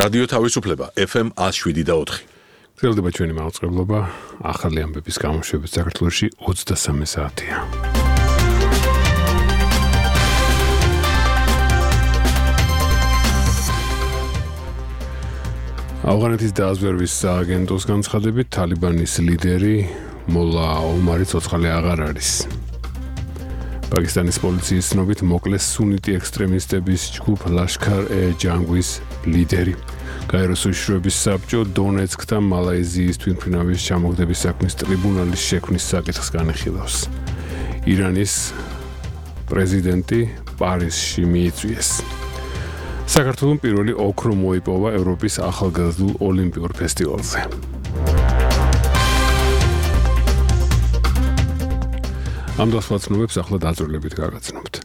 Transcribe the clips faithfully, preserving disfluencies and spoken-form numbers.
რადიო თავისუფლება ეფ ემ one oh seven და four. გრძელდება ჩვენი მაუწყებლობა ახალი ამბების გამოშვებით საქართველოში ოცდასამი საათია. ავღანეთის დააზვერვის სააგენტოს განცხადებით თალიბანის ლიდერი მოლა ომარი ცოცხალი აღარ არის. პაკისტანის პოლიციის ცნობით მოკლეს სუნიტი ექსტრემისტების ჯგუფ ლაშქარ-ე-ჯანგვის ლიდერი. გაეროს უშიშროების საბჭო დონეცკთან მალაიზიის თვითმფრინავის ჩამოგდების საქმის ტრიბუნალის შექმნის საკითხს განიხილავს. ირანის პრეზიდენტი პარიზში მიიწვიეს. საქართველოს პირველი ოქრო მოიპოვა ევროპის ახალგაზრდულ ოლიმპიურ ფესტივალზე. ამ დასვაცნობებს ახლა დაწვრილებით გაგაცნობთ.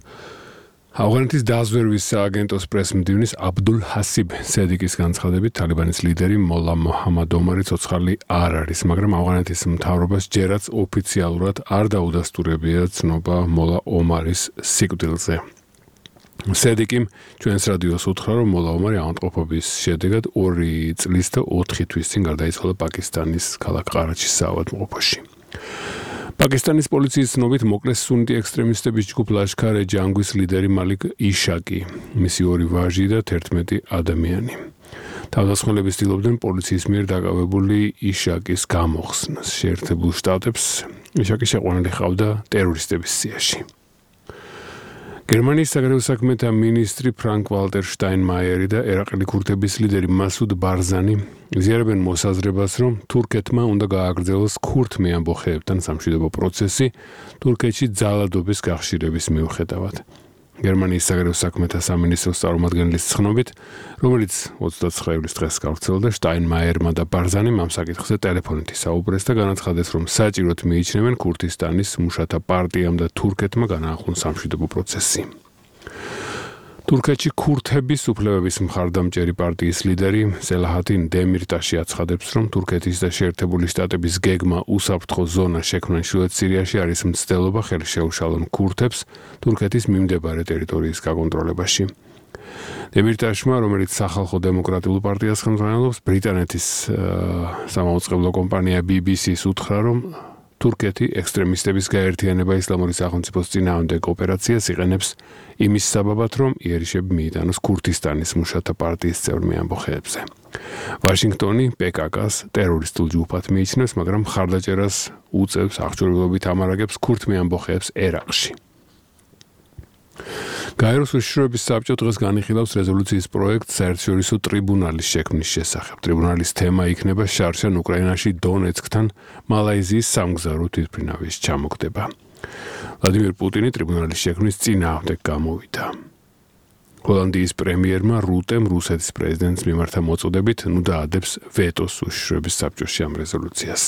ავღანეთის დააზვერვის სააგენტოს პრესმდივნის აბდულ ჰასიბ სედიკის განცხადებით თალიბანის ლიდერი მოლა მოჰამად ომარი ცოცხალი არ არის, მაგრამ ავღანეთის მთავრობას ჯერაც ოფიციალურად არ დაუდასტურებია ცნობა მოლა ომარის სიკვდილზე. სედიკიმ ჩვენს რადიოს უთხრა, რომ მოლა ომარი ავადმყოფობის შედეგად ორი წლის და ოთხი თვის წინ გარდაიცვალა პაკისტანის ქალაქ ყარაჩის საავადმყოფოში. პაკისტანის პოლიციის ცნობით მოკლეს სუნიტი ექსტრემისტების ჯგუფ ლაშქარ-ე-ჯანგვის ლიდერი მალიკ იშაკი, მისი ორი ვაჟი და თერთმეტი ადამიანი. თავდასხმელები ცდილობდნენ პოლიციის მიერ დაკავებული იშაკის გამოხსნას. შეერთებულ შტატებს იშაკი შეყვანილი ჰყავდა ტერორისტების სიაში. გერმანიის საგარეო საქმეთა მინისტრი ფრანკ ვალტერ შტაინმაიერი და ერაყელი ქურთების ლიდერი მასუდ ბარზანი იზიარებენ მოსაზრებას, რომ თურქეთმა უნდა გააგრძელოს ქურთ მეამბოხეებთან სამშვიდობო პროცესი თურქეთში ძალადობის გახშირების მიუხედავად. გერმანიის საგარეო საქმეთა სამინისტროს წარმომადგენლის ცნობით, რომელიც ოცდაცხრე ივლისს დღეს გავრცელდა, შტაინმაიერმა და ბარზანიმ ამ საკითხზე ტელეფონით ისაუბრეს და განაცხადეს, რომ საჭიროდ მიიჩნევენ ქურთისტანის მუშათა პარტიამ და თურქეთმა განაახლონ სამშვიდობო პროცესი. თურქეთში ქურთების უფლებების მხარდამჭერი პარტიის ლიდერი სელაჰადინ დემირტაში აცხადებს, რომ თურქეთის და შეერთებული შტატების გეგმა უსაფრთხო ზონა შექმნან ჩრდილოეთ სირიაში არის მცდელობა ხელი შეუშალონ ქურთებს თურქეთის მიმდებარე ტერიტორიის გაკონტროლებაში. დემირტაშმა, რომელიც სახალხო დემოკრატიულ პარტიას ხელმძღვანელობს, ბრიტანეთის სამაუწყებლო კომპანია ბი ბი სი-ს უთხრა, რომ თურქეთი ექსტრემისტების გაერთიანება ისლამური სახელმწიფოს წინააღმდეგ ოპერაციას იყენებს იმის საბაბად, რომ იერიშები მიიტანოს ქურთისტანის მუშათა პარტიის წევრ მეამბოხეებზე. ვაშინგტონი პე კა კას ტერორისტულ ჯგუფად მიიჩნევს, მაგრამ მხარდაჭერას უწევს აღჭურვილობით ამარაგებს ქურთ მეამბოხეებს ერაყში. გაეროს უშიშროების საბჭო დღეს განიხილავს რეზოლუციის პროექტს საერთაშორისო ტრიბუნალის შექმნის შესახებ. ტრიბუნალის თემა იქნება შარშან უკრაინაში დონეცკთან მალაიზიის სამგზავრო თვითმფრინავის ჩამოგდება. ვლადიმერ პუტინი ტრიბუნალის შექმნის წინააღმდეგ გამოვიდა. ჰოლანდიის პრემიერმა რუტემ რუსეთის პრეზიდენტის მიმართა მოწოდებით ნუ დაადებს ვეტოს უშიშროების საბჭოში ამ რეზოლუციას.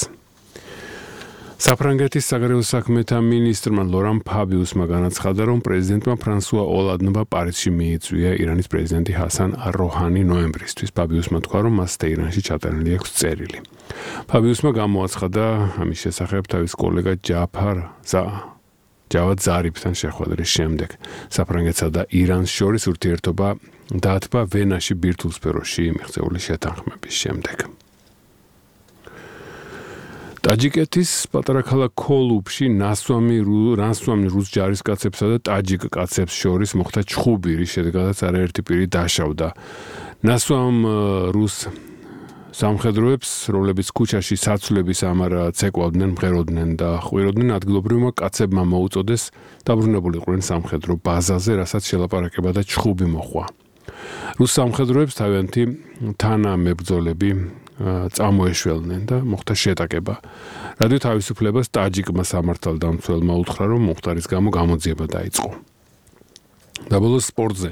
საფრანგეთის საგარეო საქმეთა მინისტრმა ლორან ფაბიუსმა განაცხადა, რომ პრეზიდენტმა ფრანსუა ოლანდმა პარიზში მიიწვია ირანის პრეზიდენტი ჰასან არ-როჰანი ნოემბრისთვის. ფაბიუსმა თქვა, რომ მას თეირანში ჩატანილი აქვს წერილი. ფაბიუსმა გამოაცხადა ამის შესახებ თავის კოლეგა ჯაფარ ზა ჯავად ზარიფთან შეხვედრის შემდეგ. საფრანგეთსა და ირანს შორის ურთიერთობა დაათბა ვენაში ბირთვულ სფეროში მიღწეული შეთანხმების შემდეგ. ტაჯიკეთის პატარა ქალაქ ქოლუბში ნასვამი რასვამი რუს ჯარისკაცებსა და ტაჯიკ კაცებს შორის მოხდა ჩხუბი, რის შედეგადაც არაერთი პირი დაშავდა. ნასვამ რუს სამხედროებს, რომლებიც ქუჩაში საცვლების ამარა ცეკვავდნენ, მღეროდნენ და ხვიროდნენ, ადგილობრივმა კაცებმა მოუწოდეს დაბრუნებულიყვნენ სამხედრო ბაზაზე, რასაც შელაპარაკება და ჩხუბი მოჰყვა. რუს სამხედროებს თავიანთი თანამებრძოლები წამოეშველნენ და მოხდა შეტაკება. რადიო თავისუფლებას ტაჯიკმა სამართალდამცველმა უთხრა, რომ მომხდარის გამო გამოძიება დაიწყო. დაბოლოს სპორტზე.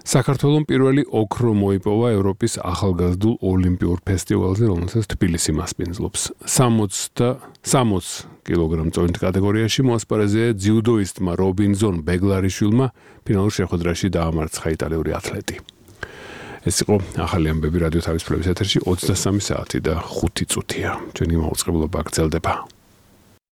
საქართველოს პირველი ოქრო მოიპოვა ევროპის ახალგაზრდულ ოლიმპიურ ფესტივალზე, რომელსაც თბილისი მასპინძლობს. სამოცი კილოგრამ წონით კატეგორიაში მოასპარეზია ძიუდოისტმა რობინზონ ბეგლარიშვილმა ფინალურ შეხვედრაში დაამარცხა იტალიური ათლეტი. ეს იყო ახალი ამბები რადიო თავისუფლების ეთერში ოცდასამი საათი და ხუთი წუთია. ჩვენი მაუწყებლობა გრძელდება.